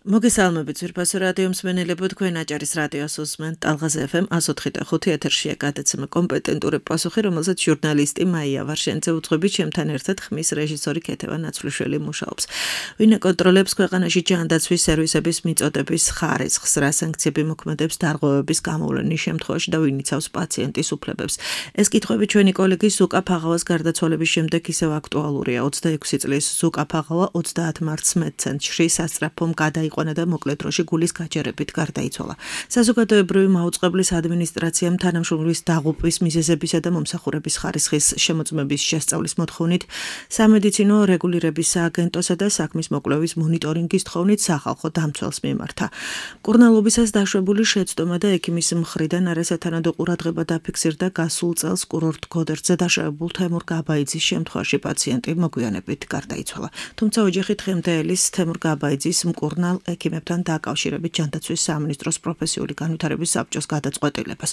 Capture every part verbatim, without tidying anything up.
მოგესალმებით ძვირფასო რადიო მსმენელებო, თქვენ აჭარის რადიოს უსმენთ ტალღაზე ეფ ემ one oh five point five ეთერშია გადაცემა კომპეტენტური პასუხი, რომელზეც ჟურნალისტი მაია ვარშენიძე უძღვებით ჩემთან ერთად ხმის რეჟისორი ქეთევან ნაცვლიშვილი მუშაობს. ვინ აკონტროლებს ქვეყანაში ჯანდაცვის სერვისების მიწოდების ხარისხს, რა სანქციები მოქმედებს დარღვევების გამოვლენის შემთხვევაში და ვინ იცავს პაციენტის უფლებებს. ეს კითხვები ჩვენი კოლეგის ზუკა ფაღავას გარდაცვალების შემდეგ ისევ აქტუალურია. ოცდაექვსი წლის ზუკა ფაღავა ოცდაათ მარტს მედცენტრში სასწრაფომ გადაიყვანა და მოკლედ დროში გულის გაჯერებით გარდაიცვალა. საზოგადოებრივი მაუწყებლის ადმინისტრაციამ თანამშრომლის დაღუპვის მიზეზებისა და მომსახურების ხარისხის შემოწმების შესწავლის მოთხოვნით სამედიცინო რეგულირების სააგენტოსა და საქმის მოკვლევის მონიტორინგის თხოვნით სახალხო დამცველს მიმართა. მკურნალობისას დაშვებული შეცდომა და ექიმის მხრიდან არასათანადო ყურადღება დაფიქსირდა გასულ წელს კურორტ გოდერძზე დაშავებულ თემურ გაბაიძის შემთხვევაში პაციენტი მოგვიანებით გარდაიცვალა. თუმცა ოჯახი დღემდე ელის თემურ გაბაიძის მკურნალ ექიმებთან დაკავშირებით ჯანდაცვის სამინისტროს პროფესიული განვითარების საბჭოს გადაწყვეტილებას.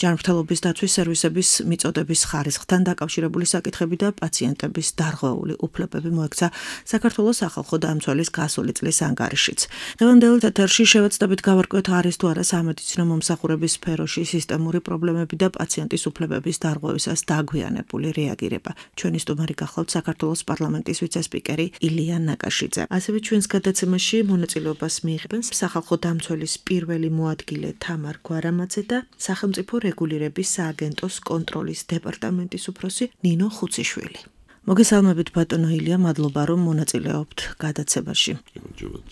ჯანმრთელობის დაცვის სერვისების მიწოდების ხარისხთან დაკავშირებული საკითხები და პაციენტების დარღვეული უფლებები მოექცა საქართველოს სახალხო დამცველის გასული წლის ანგარიშიც. დღევანდელ ეთერში შევეცდებით გავარკვიოთ არის თუ არა სამედიცინო მომსახურების სფეროში სისტემური პრობლემები და პაციენტის უფლებების დარღვევისას დაგვიანებული რეაგირება. ჩვენი სტუმარი გახლავთ საქართველოს პარლამენტის ვიცე-სპიკერი ილია ნაკაშიძე. ასევე ჩვენს გადაცემაში მონაწილეობას მიიღებენ სახალხო დამცველის პირველი მოადგილე თამარ გვარამაძე და სახელმწიფო რეგულირების სააგენტოს კონტროლის დეპარტამენტის უფროსი ნინო ხუციშვილი. მოგესალმებით ბატონო ილია, მადლობა რომ მონაწილეობთ გადაცემაში.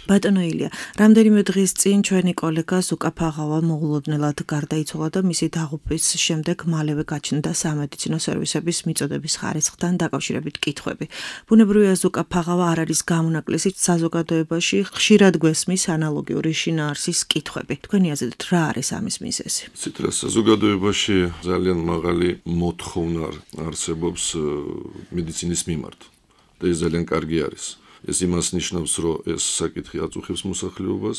ბატონო ილია, რამდენიმე დღის წინ ჩვენი კოლეგა ზუკა ფაღავა მოულოდნელად გარდაიცვალა და მისი დაღუპვის შემდეგ მალევე გაჩნდა სამედიცინო სერვისების მიწოდების ხარისხთან დაკავშირებით კითხვები. ბუნებრივია ზუკა ფაღავა არ არის გამონაკლისი საზოგადოებაში ხშირად გვესმის ანალოგიური შინაარსის კითხვები. თქვენი აზრით რა არის ამის მიზეზი? ცითრა საზოგადოებაში ძალიან მაღალი მოთხოვნა არსებობს მედიცინის მიმართ და ეს ძალიან კარგი არის. ეს იმას ნიშნავს, რომ ეს საკითხი აწუხებს მოსახლეობას,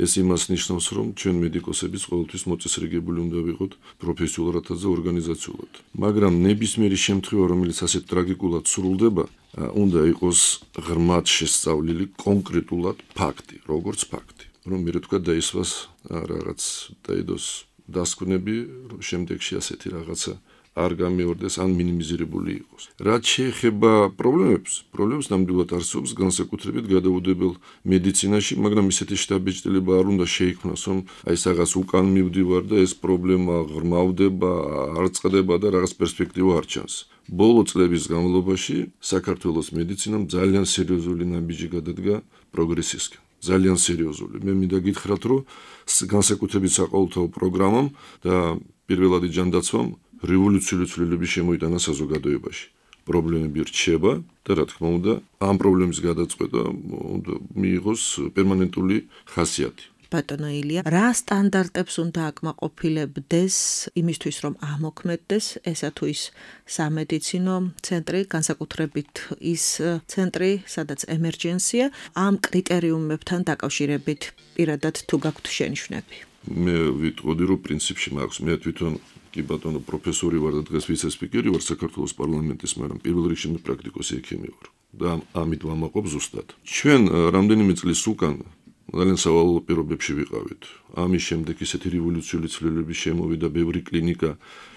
ეს იმას ნიშნავს, რომ ჩვენ მედიკოსებიც ყოველთვის მოწესრიგებული უნდა ვიყოთ პროფესიულადაც და ორგანიზაციულად. მაგრამ ნებისმიერი შემთხვევა, რომელიც ასეთ ტრაგიკულად სრულდება, უნდა იყოს ღრმად შესწავლილი კონკრეტულად ფაქტი, როგორც ფაქტი. რომ მე თქვა დაისვას რაღაც დაიდოს დასკვნები, რომ შემდეგში ასეთი რაღაცა არ გამეორდეს ან მინიმიზირებული იყოს. რაც შეეხება პრობლემებს, პრობლემებს ნამდვილად არსებობს განსაკუთრებით გადაუდებელ მედიცინაში, მაგრამ ისეთი შთაბეჭდილება არ უნდა შეიქმნას, რომ აი ეს რაღაც უკან მივდივარ და ეს პრობლემა ღრმავდება, არ წყდება და რაღაც პერსპექტივა არ ჩანს. ბოლო წლების განმავლობაში საქართველოს მედიცინამ ძალიან სერიოზული ნაბიჯი გადადგა პროგრესისკენ. ძალიან სერიოზული. მე მინდა გითხრათ, რომ განსაკუთრებით საყოველთაო პროგრამამ და პირველადი ჯანდაცვამ რევოლუციური ცვლილების შემოიტანა საზოგადოებაში. პრობლემები რჩება და რა თქმა უნდა, ამ პრობლემის გადაწყვეტა უნდა მიიღოს პერმანენტული ხასიათი. ბატონო ილია, რა სტანდარტებს უნდა აკმაყოფილებდეს იმისთვის, რომ ამოქმედდეს ესა თუ ის სამედიცინო ცენტრი, განსაკუთრებით ის ცენტრი, სადაც ემერჯენსია, ამ კრიტერიუმებთან დაკავშირებით პირადად თუ გაქვთ შენიშვნები? მე ვიტყოდი, რომ პრინციპში მაქვს, მე თვითონ კი ბატონო პროფესორი ვარ და დღეს ვიცე-სპიკერი ვარ საქართველოს პარლამენტის, მაგრამ პირველ რიგში მე პრაქტიკოსი ექიმი ვარ და ამით ვამაყობ ზუსტად. ჩვენ რამდენიმე წლის უკან ძალიან სავალალო პირობებში ვიყავით. ამის შემდეგ ისეთი რევოლუციური ცვლილების შემოვიდა, ბევრი კლინიკა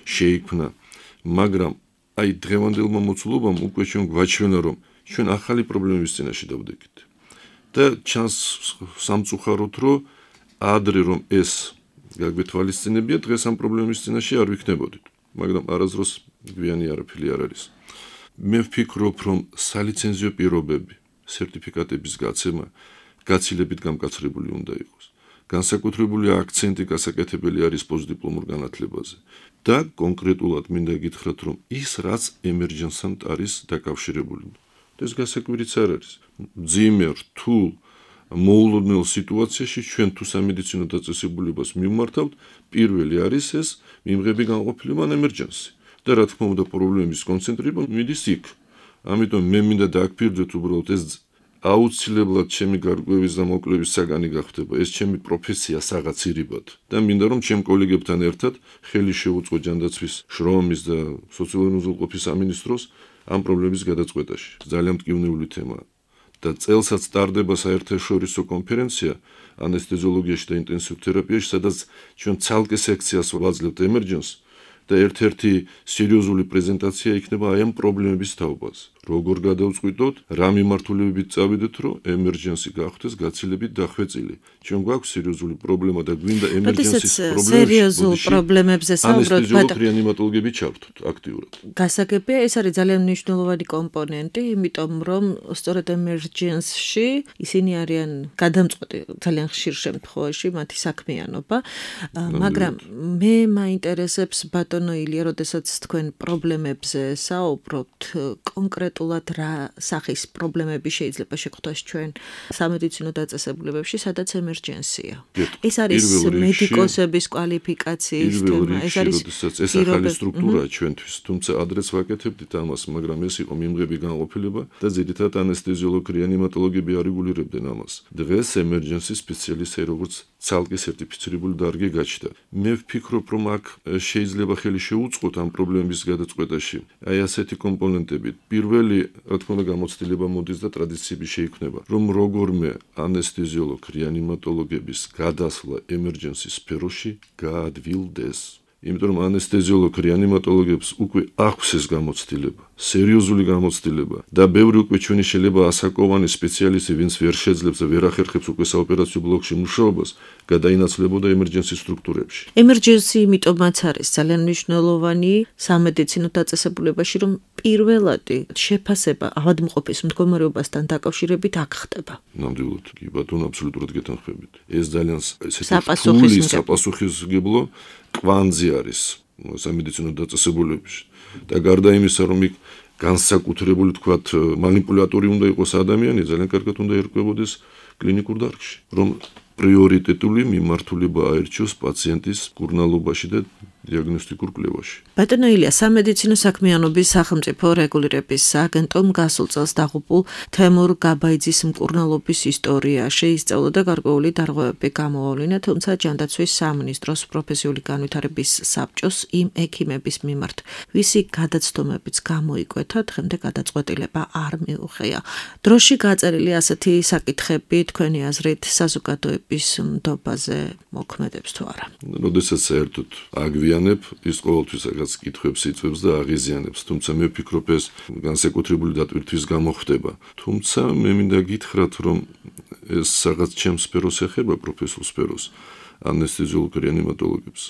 შეიქმნა, მაგრამ აი დღევანდელმა მოცულობამ უკვე ჩვენ გვაჩვენა, რომ ჩვენ ახალი პრობლემების წინაშე დავდექით. და ჩანს სამწუხაროდ, რომ ადრე რომ ეს გაგვეთვალისწინებია, დღეს ამ პრობლემის წინაშე არ ვიქნებოდით, მაგრამ არასდროს გვიანი არაფერი არ არის. მე ვფიქრობ, რომ სალიცენზიო პირობები, სერტიფიკატების გაცემა გაცილებით გამკაცრებული უნდა იყოს. განსაკუთრებული აქცენტი გასაკეთებელი არის პოსტდიპლომურ განათლებაზე და კონკრეტულად მინდა გითხრათ, რომ ის რაც ემერჯენსთან არის დაკავშირებული. ეს გასაკვირიც არ არის. მძიმე, რთულ მოულოდნელ სიტუაციაში ჩვენ თუ სამედიცინო დაწესებულებას მიმართავთ, პირველი არის ეს მიმღები განყოფილება ან ემერჯენსი. და რა თქმა უნდა პრობლემის კონცენტრირება მიდის იქ. ამიტომ მე მინდა დააგფირდეთ უბრალოდ ეს აუცილებლად ჩემი გარკვევის და მოკვლევის საგანი გახდება. ეს ჩემი პროფესია საღაცირებად და მინდა რომ ჩემ კოლეგებთან ერთად ხელი შევუწყო ჯანდაცვის შრომის და სოციალური უზრუნველყოფის სამინისტროს ამ პრობლემის გადაწყვეტაში. ძალიან მტკივნეული თემაა. და წელსაც ტარდება საერთაშორისო კონფერენცია ანესთეზიოლოგიაში და ინტენსიურ თერაპიაში, სადაც ჩვენ ცალკე სექციას ვაძლევთ emergency და ერთ-ერთი სერიოზული პრეზენტაცია იქნება აი ამ პრობლემების თაობაზე. როგორ გადავწყვიტოთ, რა მიმართულებებით წავიდეთ, რომ emergency გახდეს გაცილებით დახვეწილი. ჩვენ გვაქვს სერიოზული პრობლემა და გვინდა emergency პრობლემებში. სერიოზულ პრობლემებზე საუბრობთ, ბატონო. რეანიმატოლოგები ჩართოთ აქტიურად. გასაგებია, ეს არის ძალიან მნიშვნელოვანი კომპონენტი, იმიტომ რომ სწორედ emergency-ში ისინი არიან გადამწყვეტი ძალიან ხშირ შემთხვევაში მათი საქმიანობა, მაგრამ მე მაინტერესებს ბატონო ილია, როდესაც თქვენ პრობლემებზე საუბრობთ, კონკრეტულად რა სახის პრობლემები შეიძლება შეხვდეს ჩვენ სამედიცინო დაწესებულებებში, სადაც emergency-ია. ეს არის მედიკოსების კვალიფიკაციის თემა, ეს არის ეს ახალი სტრუქტურაა ჩვენთვის, თუმცა ადრეც ვაკეთებდით ამას, მაგრამ ეს იყო მიმღები განყოფილება და ძირითადად ანესთეზიოლოგი, რეანიმატოლოგები არეგულირებდნენ ამას. დღეს emergency სპეციალისტი როგორც ცალკე სერტიფიცირებული დარგი გაჩნდა. მე ვფიქრობ, რომ აქ შეიძლება ხელი შეუწყოთ ამ პრობლემების გადაწყვეტაში. აი ასეთი კომპონენტები. პირველი, რა თქმა უნდა, გამოცდილება მოდის და ტრადიციები შეიქმნება, რომ როგორმე ანესთეზიოლოგ, რეანიმატოლოგების გადასვლა emergency სფეროში გაადვილდეს. იმიტომ რომ ანესთეზიოლოგ, რეანიმატოლოგებს უკვე აქვს ეს გამოცდილება, სერიოზული გამოცდილება და ბევრი უკვე ჩვენი შეიძლება ასაკოვანი სპეციალისტი, ვინც ვერ შეძლებს და ვერ ახერხებს უკვე საოპერაციო ბლოკში მუშაობას, გადაინაცვლებოდა emergency სტრუქტურებში. emergency იმიტომაც არის ძალიან მნიშვნელოვანი სამედიცინო დაწესებულებაში, რომ პირველადი შეფასება ავადმყოფის მდგომარეობასთან დაკავშირებით აქ ხდება. ნამდვილად, კი ბატონო, აბსოლუტურად გეთანხმებით. ეს ძალიან ესეთი საპასუხისმგებლო კვანძი არის სამედიცინო დაწესებულებებში. და გარდა იმისა, რომ იქ განსაკუთრებული თქვათ манипуляტორი უნდა იყოს ადამიანი, ძალიან კარგად უნდა ერკვებოდეს კლინიკურ დარგში, რომ პრიორიტეტული მიმართულება აერჩიოს პაციენტის კურნალობაში და დიაგნოსტიკურ კვლევაში. ბატონო ილია, სამედიცინო საქმიანობის სახელმწიფო რეგულირების სააგენტომ გასულ წელს დაღუპულ თემურ გაბაიძის მკურნალობის ისტორია შეისწავლა და გარკვეული დარღვევები გამოავლინა, თუმცა ჯანდაცვის სამინისტროს პროფესიული განვითარების საბჭოს იმ ექიმების მიმართ, ვისი გადაცდომებიც გამოიკვეთა, დღემდე გადაწყვეტილება არ მიუღია. დროში გაწერილი ასეთი საკითხები თქვენი აზრით საზოგადოების ნდობაზე მოქმედებს თუ არა? როდესაც საერთოდ აგვია ის ყოველთვის რაღაც კითხვებს იწვევს და აღიზიანებს, თუმცა მე ვფიქრობ ეს განსაკუთრებული დატვირთვის გამო ხდება. თუმცა მე მინდა გითხრათ, რომ ეს რაღაც ჩემს სფეროს ეხება, პროფესიულ სფეროს, ანესთეზიოლოგ რეანიმატოლოგებს.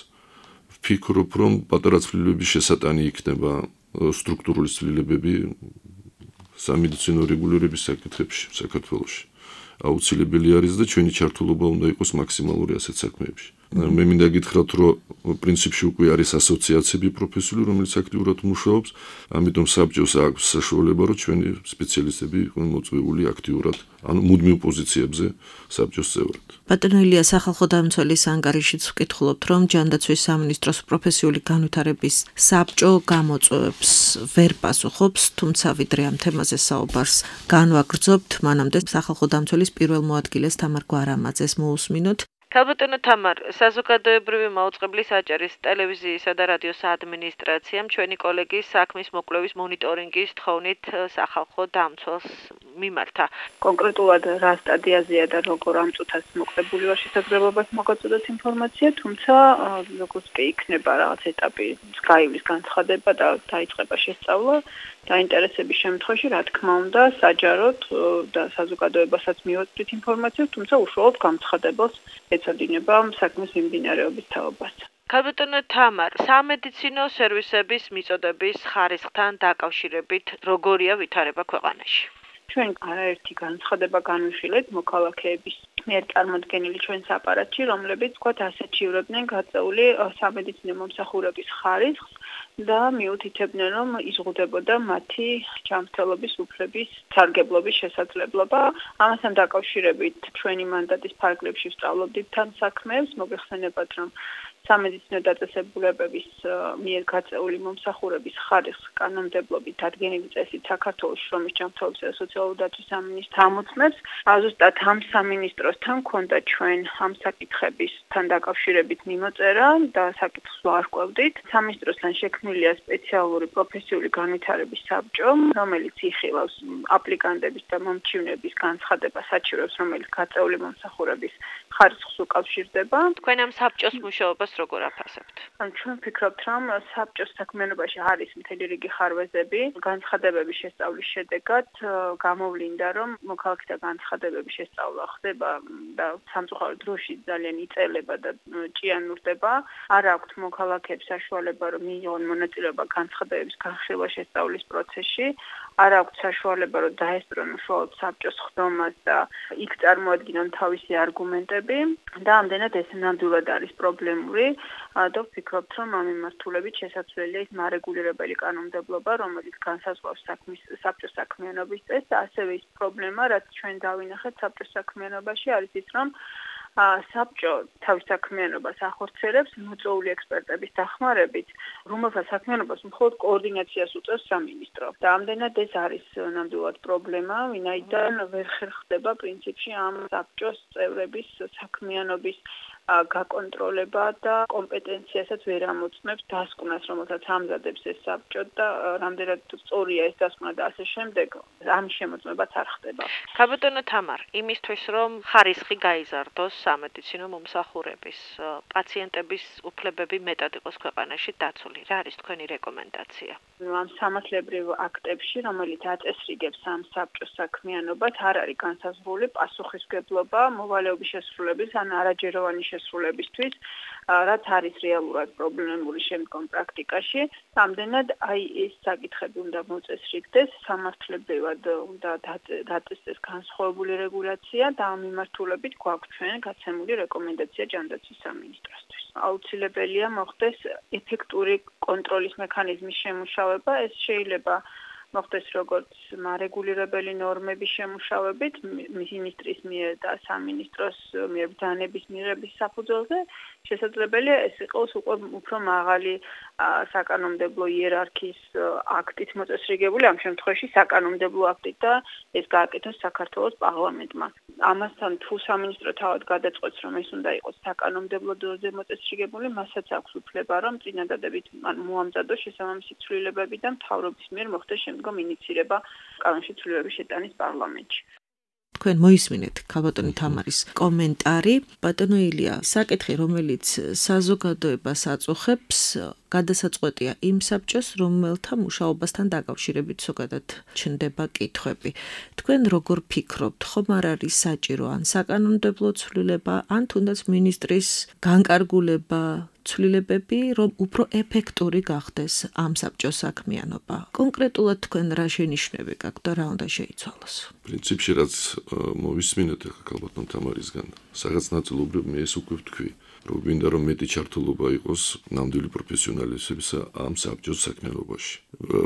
ვფიქრობ, რომ პატარა ცვლილებების შესატანი იქნება სტრუქტურული ცვლილებები სამედიცინო რეგულირების საკითხებში საქართველოში. აუცილებელი არის და ჩვენი ჩართულობა უნდა იყოს მაქსიმალური ასეთ საქმეებში. მე მინდა გითხრათ, რომ პრინციპში უკვე არის ასოციაციები პროფესიული, რომელიც აქტიურად მუშაობს, ამიტომ საბჭოს აქვს საშუალება, რომ ჩვენი სპეციალისტები იყვნენ მოწვეული აქტიურად, ანუ მუდმივ პოზიციებზე საბჭოს წევრად. ბატონო ილია, სახალხო დამცველის ანგარიშიც ვკითხულობთ, რომ ჯანდაცვის სამინისტროს პროფესიული განვითარების საბჭო გამოწვევებს ვერ პასუხობს, თუმცა ვიდრე ამ თემაზე საუბარს განვაგრძობთ, მანამდე სახალხო დამცველის პირველ მოადგილეს თამარ გვარამაძეს მოусმინოთ. ქალბატონო თამარ, საზოგადოებრივი მაუწყებლის აჭარის ტელევიზიისა და რადიოს ადმინისტრაციამ ჩვენი კოლეგის საქმის მოკვლევის მონიტორინგის თხოვნით სახალხო დამცველს მიმართა. კონკრეტულად რა სტადიაზეა და როგორ ამ წუთას მოკლებული ვარ შესაძლებლობას მოგაწოდოთ ინფორმაცია, თუმცა როგორც კი იქნება რაღაც ეტაპი გაივლის განცხადება და დაიწყება შესწავლა, დაინტერესების შემთხვევაში, რა თქმა უნდა, საჯაროდ და საზოგადოებასაც მივაწვდით ინფორმაციას, თუმცა უშუალოდ გამცხადებელს ეწოდინება საქმის მიმდინარეობის თაობას. ქალბატონო თამარ, სამედიცინო სერვისების მიწოდების ხარისხთან დაკავშირებით როგორია ვითარება ქვეყანაში? ჩვენ არაერთი განცხადება განვიხილეთ მოქალაქეების მიერ წარმოდგენილი ჩვენს აპარატში, რომლებიც თქვათ ასეჩივრებდნენ გაწეული სამედიცინო მომსახურების ხარისხს და მიუთითებდნენ, რომ იზღუდებოდა მათი ჯანმრთელობის უფლების სარგებლობის შესაძლებლობა. ამასთან დაკავშირებით ჩვენი მანდატის ფარგლებში ვსწავლობდით თან საქმეებს, მოგეხსენებათ, რომ სამედიცინო დაწესებულებების მიერ გაწეული მომსახურების ხარისხს კანონმდებლობით დადგენილი წესით საქართველოს შრომის ჯანმრთელობის და სოციალური დაცვის სამინისტროს ამოწმებს. ზუსტად ამ სამინისტროსთან ქონდა ჩვენ ამ საკითხებისთან დაკავშირებით მიმოწერა და საკითხს ვარკვევდით. სამინისტროსთან შექმნილია სპეციალური პროფესიული განვითარების საბჭო, რომელიც იხილავს აპლიკანტების და მომჩივნების განცხადება საჩივრებს, რომელიც გაწეული მომსახურების ხარისხს უკავშირდება. თქვენ ამ საბჭოს მუშაობას როგორ აფასებთ? ჩვენ ვფიქრობთ, რომ საბჭოს საქმიანობაში არის მთელი რიგი ხარვეზები, განცხადებების შესწავლის შედეგად გამოვლინდა, რომ მოქალაქეთა განცხადებების შესწავლა ხდება და სამწუხაროდ დროში ძალიან იწელება და ჭიანურდება. არ აქვთ მოქალაქეებს საშუალება, რომ მიიღონ მონაწილეობა განცხადებების განხილვა შესწავლის პროცესში. არ აქვთ საშუალება, რომ დაესწრონ უშუალოდ საბჭოს ხდომას და იქ წარმოადგინონ თავისი არგუმენტები და ამდენად ეს ნამდვილად არის პრობლემური და ვფიქრობთ, რომ ამ მიმართულებით შესაძლებელია ის მარეგულირებელი კანონმდებლობა, რომელიც განსაზღვრავს საქმის საბჭოს საქმიანობის წესს და ასევე ის პრობლემა, რაც ჩვენ დავინახეთ საბჭოს საქმიანობაში, არის ის, რომ საბჭო თავის საქმიანობას ახორციელებს მოწვეული ექსპერტების დახმარებით, რომელთა საქმიანობას მხოლოდ კოორდინაციას უწევს სამინისტრო. და ამდენად ეს არის ნამდვილად პრობლემა, ვინაიდან ვერ ხერხდება პრინციპში ამ საბჭოს წევრების საქმიანობის გაკონტროლება და კომპეტენციასაც ვერ ამოწმებს დასკვნას, რომელსაც ამზადებს ეს საბჭო და რამდენად სწორია ეს დასკვნა და ასე შემდეგ, ამ შემოწმებაც არ ხდება. ქაბატონო თამარ, იმისთვის რომ ხარისხი გაიზარდოს სამედიცინო მომსახურების, პაციენტების უფლებები მეტად იყოს ქვეყანაში დაცული, რა არის თქვენი რეკომენდაცია? ამ სამართლებრივ აქტებში, რომელიც აწესრიგებს ამ საბჭოს საქმიანობას, არ არის განსაზღვრული პასუხისმგებლობა მოვალეობის შესრულების ან არაჯეროვანი შესრულებისთვის, რაც არის რეალურად პრობლემური შემდგომ პრაქტიკაში. ამდენად აი ეს საკითხები უნდა მოწესრიგდეს, სამართლებრივად უნდა დაწესდეს განსხვავებული რეგულაცია და ამ მიმართულებით გვაქვს ჩვენ გაცემული რეკომენდაცია ჯანდაცვის სამინისტროსთვის. აუცილებელია მოხდეს ეფექტური კონტროლის მექანიზმის შემუშავება, ეს შეიძლება მოხდეს როგორც მარეგულირებელი ნორმების შემუშავებით მინისტრის მიერ და სამინისტროს მიერ ბრძანების მიღების საფუძველზე, შესაძლებელია ეს იყოს უკვე უფრო მაღალი საკანონმდებლო იერარქიის აქტით მოწესრიგებული, ამ შემთხვევაში საკანონმდებლო აქტით და ეს გააკეთოს საქართველოს პარლამენტმა. ამასთან თუ სამინისტრო თავად გადაწყვეტს, რომ ეს უნდა იყოს საკანონმდებლო დონეზე მოწესრიგებული, მასაც აქვს უფლება, რომ წინადადებით მოამზადოს შესაბამისი ცვლილებები და მთავრობის მიერ მოხდეს შემდგომ ინიცირება კანონში ცვლილებების შეტანის პარლამენტში. თქვენ მოისმინეთ ქალბატონი თამარის კომენტარი. ბატონო ილია, საკითხი, რომელიც საზოგადოებას აწუხებს, გადასაწყვეტია იმ საბჭოს, რომელთა მუშაობასთან დაკავშირებით ზოგადად ჩნდება კითხვები. თქვენ როგორ ფიქრობთ, ხომ არ არის საჭირო ან საკანონმდებლო ცვლილება, ან თუნდაც მინისტრის განკარგულება, ცვლილებები, რომ უფრო ეფექტური გახდეს ამ საბჭოს საქმიანობა? კონკრეტულად თქვენ რა შენიშვნები გაქვთ და რა უნდა შეიცვალოს? პრინციპში რაც მოვისმინეთ ახლა ქალბატონ თამარისგან, რაღაც ნაწილობრივ მე ეს უკვე ვთქვი, რომ გვინდა რომ მეტი ჩართულობა იყოს ნამდვილი პროფესიონალისებისა ამ საბჭოს საქმიანობაში.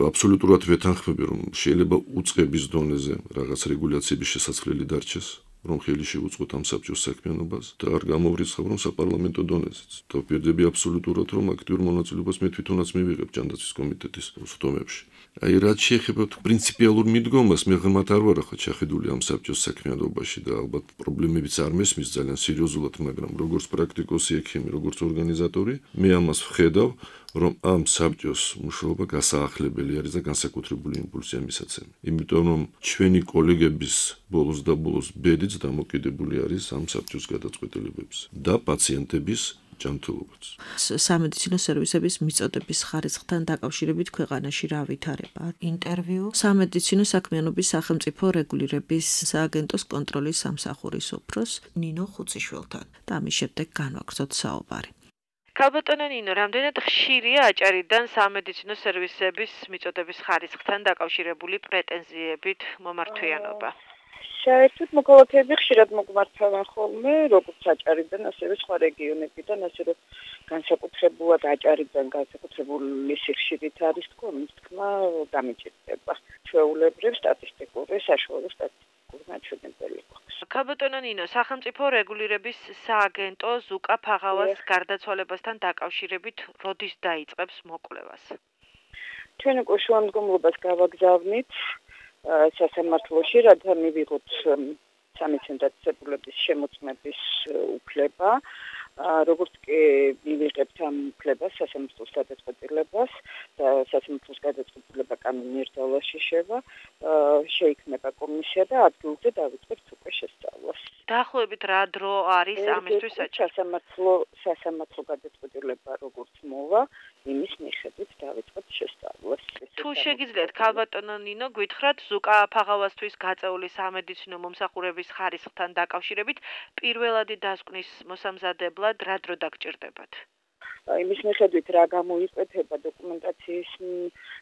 აბსოლუტურად ვეთანხმები, რომ შეიძლება უწყების დონეზე რაღაც რეგულაციების შესაძლებელი დარჩეს, რომ ხელი შეუწყოთ ამ საბჭოს საქმიანობას და არ გამოვრიცხავ რომ საპარლამენტო დონეზეც. დავპირდები აბსოლუტურად, რომ აქტიურ მონაწილეობას მე თვითონაც მივიღებ ჯანდაცვის კომიტეტის სხდომებში. აი რაც შეეხება პრინციპიალურ მიდგომას, მე ღრმად არ ვარ ახლა ჩახედული ამ საბჭოს საქმიანობაში და ალბათ პრობლემებიც არ მესმის ძალიან სერიოზულად, მაგრამ როგორც პრაქტიკოსი ექიმი, როგორც ორგანიზატორი, მე ამას ვხედავ, რომ ამ საბჭოს მუშაობა გასაახლებელი არის და განსაკუთრებული იმპულსი ამისაცემი. იმიტომ რომ ჩვენი კოლეგების ბოლოს და ბოლოს ბედიც დამოკიდებული არის ამ საბჭოს გადაწყვეტილებებზე და პაციენტების ჯანმრთელობაც. სამედიცინო სერვისების მიწოდების ხარისხთან დაკავშირებით ქვეყანაში რა ვითარება? ინტერვიუ სამედიცინო საქმიანობის სახელმწიფო რეგულირების სააგენტოს კონტროლის სამსახურის უფროს ნინო ხუციშვილთან და ამის შემდეგ განვაგრძოთ საუბარი. ქალბატონო ნინო, რამდენად ხშირია აჭარიდან სამედიცინო სერვისების მიწოდების ხარისხთან დაკავშირებული პრეტენზიებით მომართვიანობა? საერთოდ მოქალაქეები ხშირად მოგმართავენ ხოლმე, როგორც აჭარიდან, ასევე სხვა რეგიონებიდან, ასე რომ განსაკუთრებულად აჭარიდან განსაკუთრებული სიხშირით არის თქო, მის თქმა დამიჭირდება. ჩვეულებრივ სტატისტიკური საშუალო სტატისტიკური მაჩვენებელი გვაქვს. ქალბატონო ნინო, სახელმწიფო რეგულირების სააგენტო ზუკა ფაღავას გარდაცვალებასთან დაკავშირებით როდის დაიწყებს მოკვლევას? ჩვენ უკვე შუამდგომლობას გავაგზავნით სასამართლოში, რათა მივიღოთ სამედიცინო დაწესებულების შემოწმების უფლება. როგორც კი მივიღებთ ამ უფლებას, სასამართლოს გადაწყვეტილებას და სასამართლოს გადაწყვეტილება კანონიერ ძალაში შევა, შეიქმნება კომისია და ადგილზე დავიწყებთ უკვე შესწავლას. დაახლოებით რა დრო არის ამისთვის საჭირო? სასამართლო სასამართლო გადაწყვეტილება როგორც მოვა, იმის მიხედვით დავიწყებთ შესწავლას. თუ შეგიძლიათ, ქალბატონო ნინო, გითხრათ ზუკა ფაღავასთვის გაწეული სამედიცინო მომსახურების ხარისხთან დაკავშირებით პირველადი დასკვნის მოსამზადებლად რა დრო დაგჭირდებათ? იმის მიხედვით რა გამოიკვეთება დოკუმენტაციის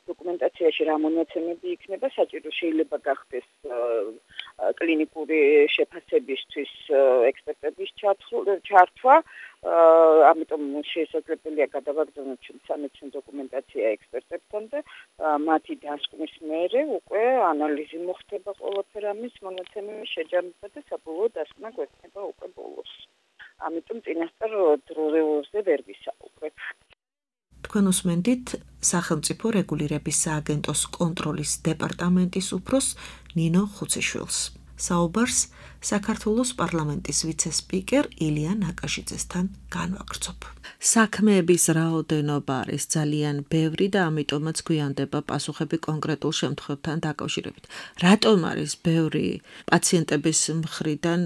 დოკუმენტაციაში რა მონაცემები იქნება საჭირო შეიძლება გახდეს კლინიკური შეფასებისთვის ექსპერტების ჩართვა, ამიტომ შესაძლებელია გადავაგზავნოთ სამედიცინო დოკუმენტაცია ექსპერტებთან და მათი დასკვნის მერე უკვე ანალიზი მოხდება ყველაფერ ამის მონაცემების შეჯამება და საბოლოო დასკვნა გვექნება უკვე ბოლოს. ამიტომ წინასწარ დროზე ვერ ვისაუბრებ. თქვენ უსმენთ სახელმწიფო რეგულირების სააგენტოს კონტროლის დეპარტამენტის უფროს ნინო ხუციშვილს. საუბარს საქართველოს პარლამენტის ვიცე-სპიკერ ილია ნაკაშიძესთან განვაგრძობ. საქმეების რაოდენობა არის ძალიან ბევრი და ამიტომაც გვიანდება პასუხები კონკრეტულ შემთხვევებთან დაკავშირებით. რატომ არის ბევრი პაციენტების მხრიდან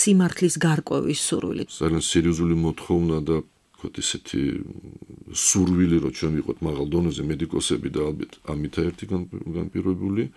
სიმართლის გარკვევის სურვილი? ძალიან სერიოზული მოთხოვნა და ვთქვათ ისეთი სურვილი, რომ ჩვენ ვიყოთ მაღალ დონეზე მედიკოსები და ალბათ ამითა ერთი განპირობებული.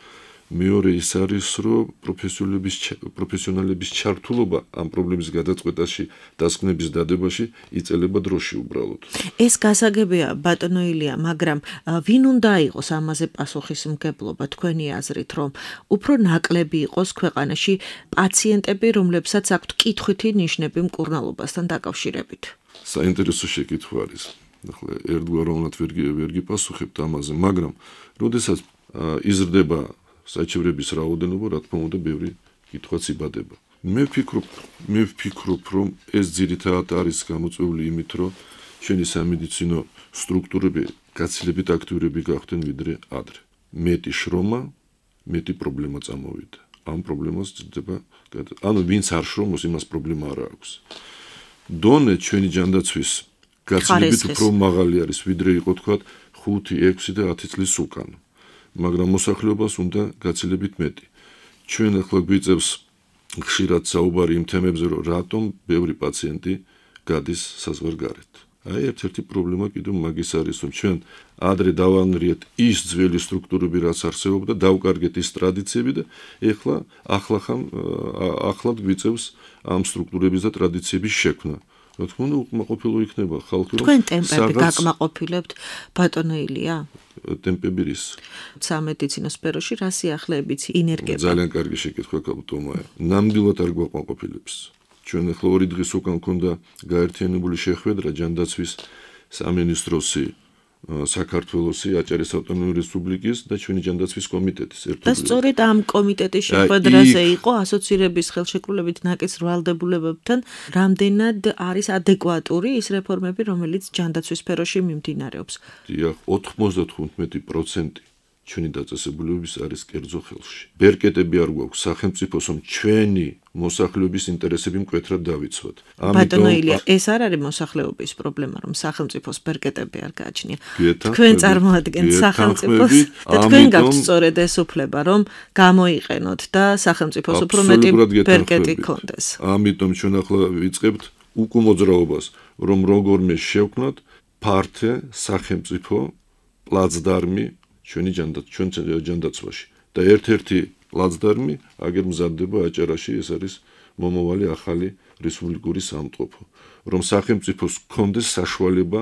მეორე ის არის, რომ პროფესიონალების პროფესიონალების ჩართულობა ამ პრობლემის გადაწყვეტაში, დასკვნების დადებაში იწელება დროში უბრალოდ. ეს გასაგებია ბატონო ილია, მაგრამ ვინ უნდა იყოს ამაზე პასუხისმგებლობა თქვენი აზრით, რომ უფრო ნაკლები იყოს ქვეყანაში პაციენტები, რომლებსაც აქვთ კითხვითი ნიშნები მკურნალობასთან დაკავშირებით? საინტერესო შეკითხვა არის. ახლა ერთგვაროვნად ვერ გიპასუხებთ ამაზე, მაგრამ როდესაც იზრდება საჩივრების რაოდენობა, რა თქმა უნდა, ბევრი კითხვაც იბადება. მე ვფიქრობ, მე ვფიქრობ, რომ ეს ძირითადად არის გამოწვეული იმით, რომ ჩვენი სამედიცინო სტრუქტურები გაცილებით აქტიურები გახდნენ ვიდრე ადრე. მეტი შრომა, მეტი პრობლემა წამოვიდა. ამ პრობლემას ძლდება, ანუ ვინც არ შრომობს, იმას პრობლემა არ აქვს. დონე ჩვენი ჯანდაცვის გაცილებით უფრო მაღალი არის, ვიდრე იყო თქვა ხუთი, ექვსი და ათი წლის უკან. მაგრამ მოსახლეობას უნდა გაცილებით მეტი. ჩვენ ახლა გვიწევს ხშირად საუბარი იმ თემებზე, რომ რატომ ბევრი პაციენტი გადის საზღვარგარეთ. აი ერთ-ერთი პრობლემა კიდევ მაგის არის, რომ ჩვენ ადრე დავანრიეთ ის ძველი სტრუქტურები, რაც არსებობდა, დავკარგეთ ის ტრადიციები და ეხლა ახლახან ახლად გვიწევს ამ სტრუქტურების და ტრადიციების შექმნა. რა თქმა უნდა, უკმაყოფილო იქნება ხალხი, რომ თქვენ ტემპები გაკმაყოფილებთ ბატონო ილია? ტემპები რის? სამედიცინო სფეროში რა სიახლეებიც ინერგება? ძალიან კარგი შეკითხვა კაპიტონია. ნამდვილად არ გვაკმაყოფილებს. ჩვენ ახლა ორი დღის უკან გქონდა გაერთიანებული შეხვედრა ჯანდაცვის სამინისტროსი, საქართველოსი, აჭარის ავტონომიური რესპუბლიკის და ჩვენი ჯანდაცვის კომიტეტის ერთად. და სწორედ ამ კომიტეტის შეხვედრაზე იყო ასოცირების ხელშეკრულებით ნაკის ვალდებულებებთან რამდენად არის ადეკვატური ის რეფორმები, რომელიც ჯანდაცვის სფეროში მიმდინარეობს. დიახ, ოთხმოცდათხუთმეტი პროცენტი ჩვენი დაწესებულებების არის კერძო ხელში. ბერკეტები არ გვაქვს სახელმწიფოს, რომ ჩვენი მოსახლეობის ინტერესები მკვეთრად დავიცვათ. ბატონო ილია, ეს არ არის მოსახლეობის პრობლემა, რომ სახელმწიფოს ბერკეტები არ გააჩნია. თქვენ წარმოადგენთ სახელმწიფოს და თქვენ გაქვთ სწორედ ეს უფლება, რომ გამოიყენოთ და სახელმწიფოს უფრო მეტი ბერკეტი გქონდეს. ამიტომ ჩვენ ახლა ვიწყებთ უკმოძრაობას, რომ როგორმე შევქმნათ ფართე სახელმწიფო პლაცდარმი ჩვენი ჯანდაცვაში. და ერთ-ერთი პლაცდარმი აგერ მზადდება აჭარაში, ეს არის მომავალი ახალი რესპუბლიკური სამწყობო, რომ სახელმწიფოს გქონდეს საშუალება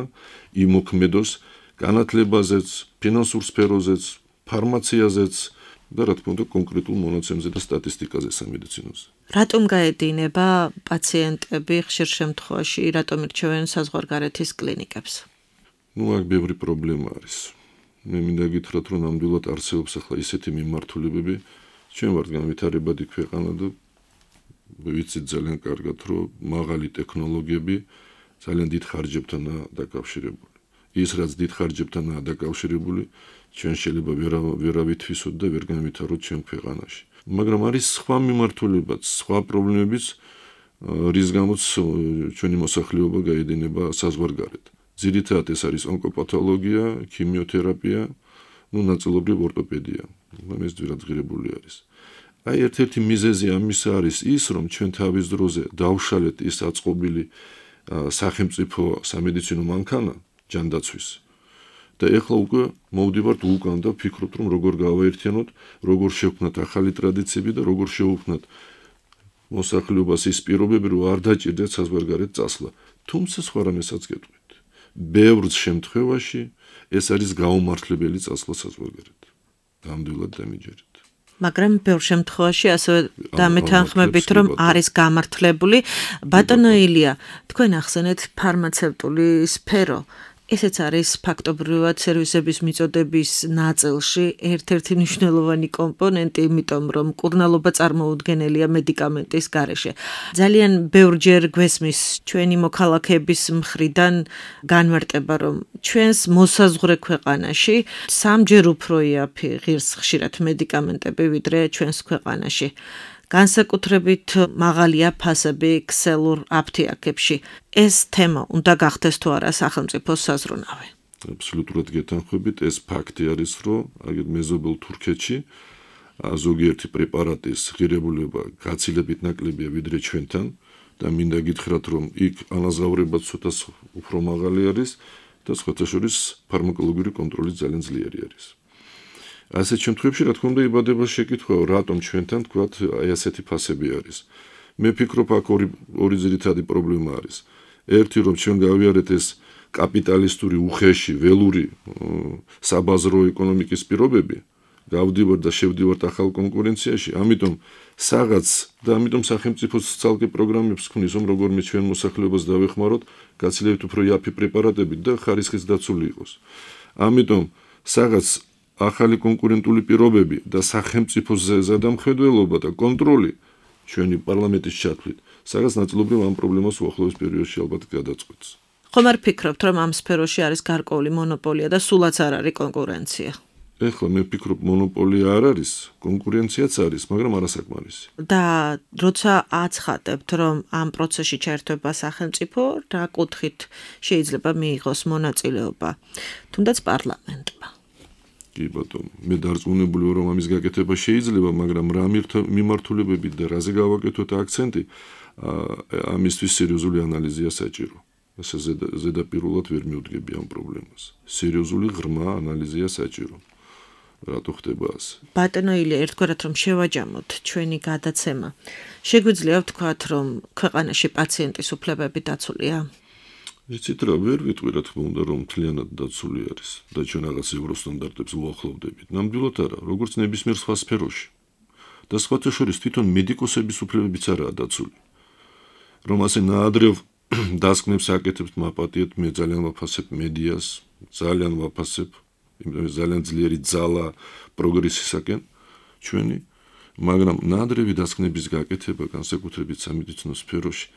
იმოქმედოს განათლებაზეც, ფინანსურ სფეროზეც, ფარმაციაზეც და რა თქმა უნდა კონკრეტულ მონაცემზე და სტატისტიკაზე სამედიცინოზე. რატომ გაედინება პაციენტები ხშირ შემთხვევაში, რატომ ირჩევენ საზღვარგარეთის კლინიკებს? ნუ აქ ბევრი პრობლემა არის. მე მინდა გითხრათ, რომ ნამდვილად არსებობს ახლა ისეთი მიმართულებები, ჩვენ ვართ განვითარებადი ქვეყანა და ვიცით ძალიან კარგად, რომ მაღალი ტექნოლოგიები ძალიან დიდ ხარჯებთანაა დაკავშირებული. ის რაც დიდ ხარჯებთანაა დაკავშირებული, ჩვენ შეიძლება ვერა ვითვისოთ და ვერ განვითაროთ ჩვენ ქვეყანაში. მაგრამ არის სხვა მიმართულებაც, სხვა პრობლემებიც, რის გამოც ჩვენი მოსახლეობა გაედინება საზღვარგარეთ. ძირითადად ეს არის ონკოპათოლოგია, ქიმიოთერაპია, ну ნაწილობრივ ორტოპედია. ეს ძვირადღირებული არის. აი ერთ-ერთი მიზეზი ამის არის ის, რომ ჩვენ თავის დროზე დავშალეთ ის აწყობილი სახელმწიფო სამედიცინო მანქანა ჯანდაცვის. და ეხლა უკვე მოვდივართ უკან და ვფიქრობთ, რომ როგორ გავაერთიანოთ, როგორ შევქმნათ ახალი ტრადიციები და როგორ შევქმნათ მოსახლეობას ის პირობები, რომ არ დაჭირდეთ საზღვარგარეთ წასვლა. თუმცა სხვა რამესაც გეტყვით. ბევრ შემთხვევაში ეს არის გაუმართლებელი წასვლა საზღვარგარეთ. ნამდვილად დამიჯერეთ. მაგრამ ბევრ შემთხვევაში ასევე დამეთანხმებით, რომ არის გამართლებული. ბატონო ილია, თქვენ ახსენეთ ფარმაცევტული სფერო. ესეც არის ფაქტობრივად სერვისების მიწოდების ნაწილში ერთ-ერთი მნიშვნელოვანი კომპონენტი, იმიტომ რომ მკურნალობა წარმოუდგენელია მედიკამენტის გარეშე. ძალიან ბევრჯერ გვესმის ჩვენი მოქალაქეების მხრიდან განმარტება, რომ ჩვენს მოსაზღვრე ქვეყანაში სამჯერ უფრო იაფი ღირს ხშირად მედიკამენტები, ვიდრე ჩვენს ქვეყანაში. განსაკუთრებით მაღალია ფასები ქსელურ აფთიაქებში. ეს თემა უნდა გახდეს თუ არა სახელმწიფოს საზრუნავი? აბსოლუტურად გეთანხმებით, ეს ფაქტი არის, რომ აგერ მეზობელ თურქეთში ზოგიერთი პრეპარატის ღირებულება გაცილებით ნაკლებია ვიდრე ჩვენთან და მინდა გითხრათ, რომ იქ ანაზღაურებაც ცოტა უფრო მაღალი არის და სხვათა შორის ფარმაკოლოგიური კონტროლი ძალიან ძლიერი არის. ასეთ შემთხვევებში რა თქმა უნდა იბადება შეკითხვა, რატომ ჩვენთან თქვათ აი ასეთი ფასები არის. მე ვფიქრობ, აქ ორი ორი ძირითადი პრობლემა არის. ერთი, რომ ჩვენ გავიარეთ ეს კაპიტალისტური უხეში, ველური საბაზრო ეკონომიკის პირობები, გავდივართ და შევდივართ ახალ კონკურენციაში, ამიტომ საღაც და ამიტომ სახელმწიფოს ცალკე პროგრამებს ქმნის, რომ როგორმე ჩვენ მოსახლეობას დავეხმაროთ, გაცილებით უფრო იაფი პრეპარატებით და ხარისხიც დაცული იყოს. ამიტომ საღაც ახალი კონკურენტული პირობები და სახელმწიფოს ზედამხედველობა და კონტროლი ჩვენი პარლამენტის ჩათვლით, სადაც ნაწილობრივ ამ პრობლემას უახლოეს პერიოდში ალბათ გადაწყვეტს. ხომ არ ფიქრობთ, რომ ამ სფეროში არის გარკვეული მონოპოლია და სულაც არ არის კონკურენცია? ეხლა მე ვფიქრობ, მონოპოლია არ არის, კონკურენციაც არის, მაგრამ არასაკმარისი. და როცა აცხადებთ, რომ ამ პროცესში ჩაერთვება სახელმწიფო, რა კუთხით შეიძლება მიიღოს მონაწილეობა, თუნდაც პარლამენტმა? კი ბატონო, მე დარწმუნებული ვარ, რომ ამის გაკეთება შეიძლება, მაგრამ რა მიმართულებებით და რაზე გავაკეთოთ აქცენტი, ამისთვის სერიოზული ანალიზია საჭირო. ასე ზედაპირულად ვერ მივდგები ამ პრობლემას. სერიოზული ღრმა ანალიზია საჭირო. რატო ხდება ასე? ბატონო ილია, ერთგვარად რომ შევაჯამოთ ჩვენი გადაცემა. შეგვიძლია ვთქვათ, რომ ქვეყანაში პაციენტის უფლებები დაცულია? იცით რა, ვერ ვიტყვი რა თქმა უნდა, რომ მთლიანად დაცული არის და ჩვენ რაღაც ევროსტანდარტებს უახლოვდებით. ნამდვილად არა, როგორც ნებისმიერ სხვა სფეროში. და სხვათა შორის თვითონ მედიკოსების უფლებებიც არაა დაცული. რომ ასე ნაადრევ დასკვნებს აკეთებთ, მაპატიეთ, მე ძალიან ვაფასებ მედიას, ძალიან ვაფასებ, იმიტომ რომ ძალიან ძლიერი ძალა პროგრესისაკენ ჩვენი, მაგრამ ნაადრევი დასკვნების გაკეთება განსაკუთრებით სამედიცინო სფეროში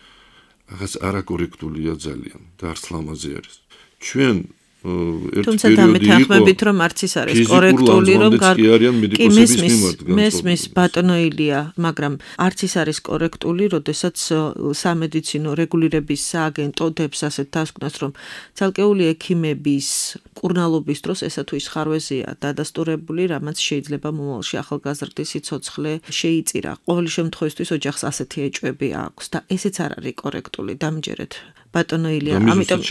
რაღაც არაკორექტულია ძალიან და არც ლამაზი არის. ჩვენ ერთ თუმცა დამეთანხმებით, რომ არც ის არის კორექტული, რომ კი მესმის ბატონო ილია, მაგრამ არც ის არის კორექტული, როდესაც სამედიცინო რეგულირების სააგენტო დებს ასეთ დასკვნას, რომ ცალკეული ექიმების მკურნალობის დროს ესა თუ ის ხარვეზია დადასტურებული, რამაც შეიძლება მომავალში ახალგაზრდის სიცოცხლე შეიწირა. ყოველი შემთხვევისთვის ოჯახს ასეთი ეჭვები აქვს და ესეც არ არის კორექტული, დამჯერეთ. ბატონო ილია, ამიტომ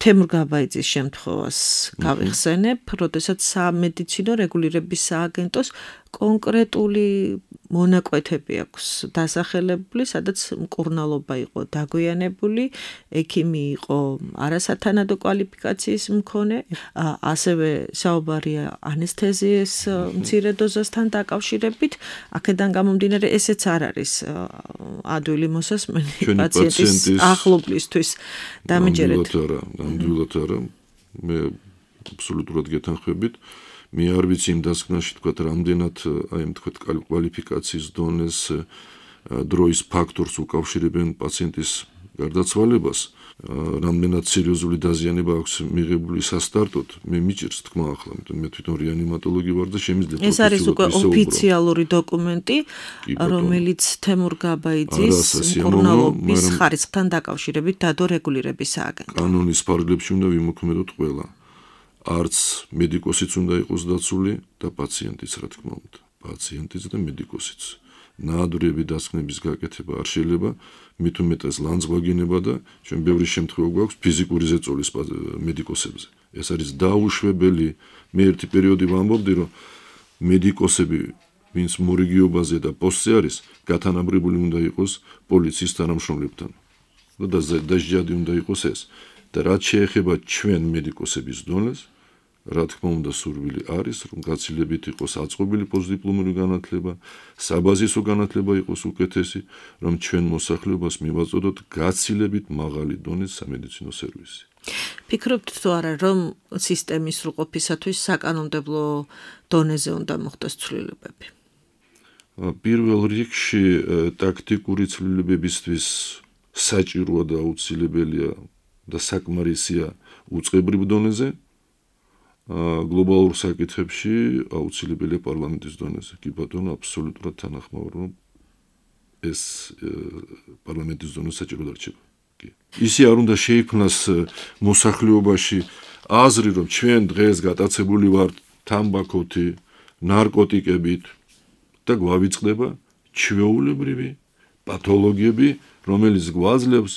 თემურ გაბაიძის შემთხვევას გავიხსენებ, როდესაც სამედიცინო რეგულირების სააგენტოს კონკრეტული მონაკვეთები აქვს დასახელებული, სადაც მკურნალობა იყო დაგვიანებული, ექიმი იყო არასათანადო კვალიფიკაციის მქონე, ასევე საუბარია ანესთეზიის მცირე დოზასთან დაკავშირებით, აქედან გამომდინარე ესეც არ არის ადვილი მოსასმენი პაციენტის ახლობლისთვის. დამიჯერეთ. ნამდვილად არა, მე აბსოლუტურად გეთანხმებით. მე არ ვიცი იმ დასკვნაში თქვა რამდენად აი ამ თქვა კვალიფიკაციის დონეს დროის ფაქტორს უკავშირებენ პაციენტის გარდაცვალებას, რამდენად სერიოზული დაზიანება აქვს მიღებული სასტარტოდ, მე მიჭირს თქმა ახლა, მე თვითონ რეანიმატოლოგი ვარ და შემიძლია ეს არის უკვე ოფიციალური დოკუმენტი, რომელიც თემურ გაბაიძის მკურნალობის ხარისხთან დაკავშირებით დადო რეგულირების სააგენტო. კანონის ფარგლებში უნდა ვიმოქმედოთ ყველა. არც მედიკოსიც უნდა იყოს დაცული და პაციენტიც, რა თქმა უნდა. პაციენტიც და მედიკოსიც. ნაადრევი დასკვნების გაკეთება არ შეიძლება, მით უმეტეს ლანძღვაგინება და ჩვენ ბევრი შემთხვევა გვაქვს ფიზიკური ზეწოლის მედიკოსებზე. ეს არის დაუშვებელი. მე ერთი პერიოდი ვამბობდი, რომ მედიკოსები, ვინც მორიგიობაზე და პოსტზე არის, გათანაბრებული უნდა იყოს პოლიციის თანამშრომლებთან. და დასჯადი უნდა იყოს ეს. და რაც შეეხება ჩვენ მედიკოსების დონეს, რა თქმა უნდა სურვილი არის, რომ გაცილებით იყოს აწყობილი პოსტდიპლომური განათლება, საბაზისო განათლება იყოს უკეთესი, რომ ჩვენ მოსახლეობას მივაწოდოთ გაცილებით მაღალი დონის სამედიცინო სერვისი. ფიქრობთ თუ არა, რომ სისტემის სრულყოფისათვის საკანონმდებლო დონეზე უნდა მოხდეს ცვლილებები? პირველ რიგში ტაქტიკური ცვლილებებისთვის საჭიროა და აუცილებელია და საკმარისია უწყებრივ დონეზე. გლობალურ საკითხებში აუცილებელია პარლამენტის დონეზე. კი ბატონო, აბსოლუტურად თანახმაურ, რომ ეს პარლამენტის დონეზე საჭირო დარჩება. კი. ისე არ უნდა შეიქმნას მოსახლეობაში აზრი, რომ ჩვენ დღეს გატაცებული ვართ თამბაქოთი, ნარკოტიკებით და გვავიწყდება ჩვეულებრივი პათოლოგიები, რომელიც გვაძლევს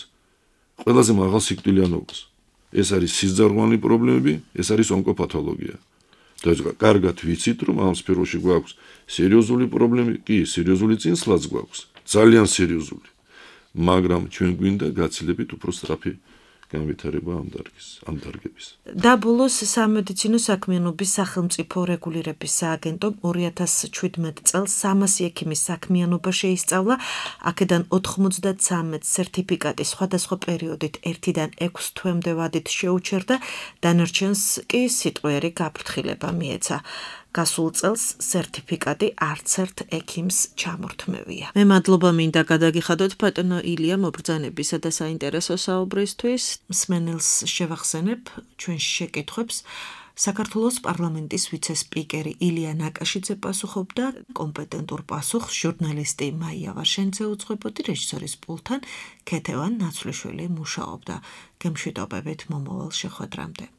ყველაზე მაღალ სიკვდილიანობას. ეს არის სიზარღვანი პრობლემები, ეს არის ონკოპათოლოგია. და კარგად ვიცით, რომ ამ სფეროში გვაქვს სერიოზული პრობლემები, კი, სერიოზული წინსვლაც გვაქვს, ძალიან სერიოზული. მაგრამ ჩვენ გვინდა გაცილებით უფრო სწრაფი განვითარება ამ დარგის, ამ დარგების. და ბოლოს სამედიცინო საქმიანობის სახელმწიფო რეგულირების სააგენტომ ორი ათას შვიდმეტ წელს სამასი ექიმის საქმიანობა შეისწავლა, აქედან ოთხმოცდათსამეტ სერტიფიკატი სხვადასხვა პერიოდით ერთიდან ექვს თვემდე ვადით შეუჩერდა, დანარჩენს კი სიტყვიერი გაფრთხილება მიეცა. გასულ წელს სერტიფიკატი არც ერთ ექიმს ჩამორთმევია. მე მადლობა მინდა გადაგიხადოთ ბატონო ილია მობრძანებისა და საინტერესო საუბრისთვის. მსმენელს შევახსენებ ჩვენ შეკითხვებს. საქართველოს პარლამენტის ვიცე-სპიკერი ილია ნაკაშიძე პასუხობდა, კომპეტენტურ პასუხს ჟურნალისტი მაია ვარშენცე უძღვებოდი, რეჟისორის პულტთან ქეთევან ნაცვლიშვილი მუშაობდა. გემშვიდობებით მომავალ შეხვედრამდე.